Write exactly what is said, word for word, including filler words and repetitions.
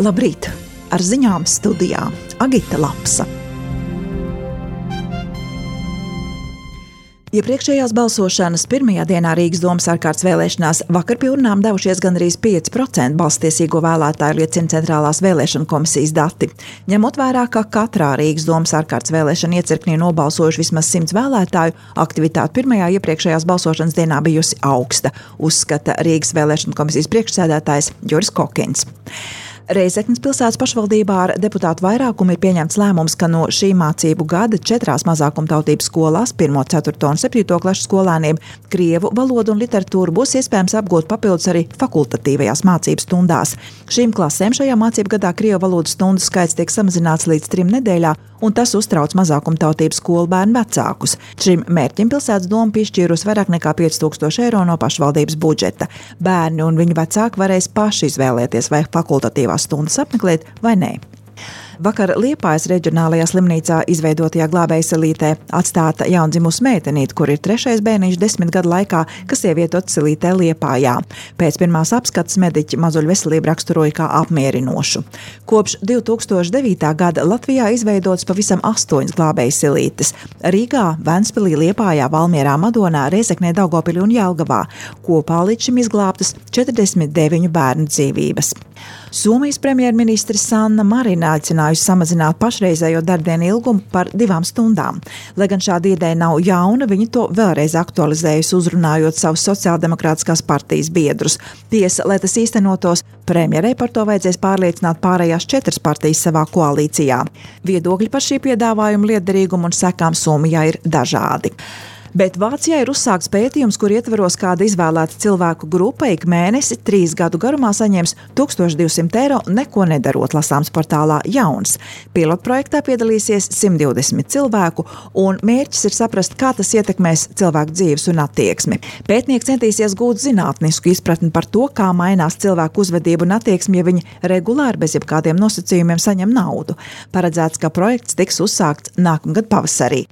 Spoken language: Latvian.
Labrīt! Ar ziņām studijā Agita Lapsa. Iepriekšējās balsošanas pirmajā dienā Rīgas domas ārkārtas vēlēšanās vakar pie urnām devušies gandrīz pieci procenti balsstiesīgo vēlētāju, liecina Centrālās vēlēšanu komisijas dati. Ņemot vērā, ka katrā Rīgas domas ārkārtas vēlēšana iecirknī nobalsojuši vismaz simts vēlētāju, aktivitāte pirmajā iepriekšējās balsošanas dienā bijusi augsta, uzskata Rīgas vēlēšanu komisijas priekšsēdētājs Juris Kokins. Reizeknes pilsētas pašvaldībā ar deputātu vairākumu ir pieņemts lēmums, ka no šī mācību gada četrās mazākumtautības skolās, pirmo, ceturto un septīto klašu skolēniem, krievu valodu un literatūru būs iespējams apgūt papildus arī fakultatīvajās mācību stundās. Šīm klasēm šajā mācību gadā krievu valodas stundu skaits tiek samazināts līdz trim nedēļā, un tas uztrauc mazākumtautības skolu bērnu vecākus. Šim mērķim pilsētas doma piešķīrusi vairāk nekā pieci tūkstoši eiro no pašvaldības budžeta. Bērni un viņu vecāki varēs paši izvēlēties, vai fakultatīvās stundas apmeklēt vai nē. Vakar Liepājas reģionālajā slimnīcā izveidotajā glābējsalītē atstāta jaundzimusi meitenīte, kur ir trešais bērniņš desmit gadu laikā, kas ievietots salītē Liepājā. Pēc pirmās apskates mediķi mazuļu veselību raksturoja kā apmierinošu. Kopš divi tūkstoši devītā gada Latvijā izveidotas pavisam astoņas glābējsalītes – Rīgā, Ventspilī, Liepājā, Valmierā, Madonā, Rēzeknē, Daugavpilī un Jelgavā. Kopā līdz šim izglābtas četrdesmit deviņu bērnu dzīvības. Somijas premjerministre Sanna Marina aicinājusi samazināt pašreizējo darbdienu ilgumu par divām stundām. Lai gan šāda ideja nav jauna, viņa to vēlreiz aktualizējusi, uzrunājot savus sociāldemokrātiskās partijas biedrus. Tiesa, lai tas īstenotos, premjerei par to vajadzēs pārliecināt pārējās četras partijas savā koalīcijā. Viedokļi par šī piedāvājuma lietderīgumu un sekām Somijā ir dažādi. Bet Vācijā ir uzsākts pētījums, kur ietveros kāda izvēlēta cilvēku grupa ik mēnesi trīs gadu garumā saņems tūkstoš divsimt eiro neko nedarot, lasāms portālā Jauns. Pilotprojektā piedalīsies simt divdesmit cilvēku, un mērķis ir saprast, kā tas ietekmēs cilvēku dzīves un attieksmi. Pētnieki centīsies gūt zinātnisku izpratni par to, kā mainās cilvēku uzvedību un attieksmi, ja viņi regulāri bez jebkādiem nosacījumiem saņem naudu. Paredzēts, ka projekts tiks uzsākts nākamgad pavasarī.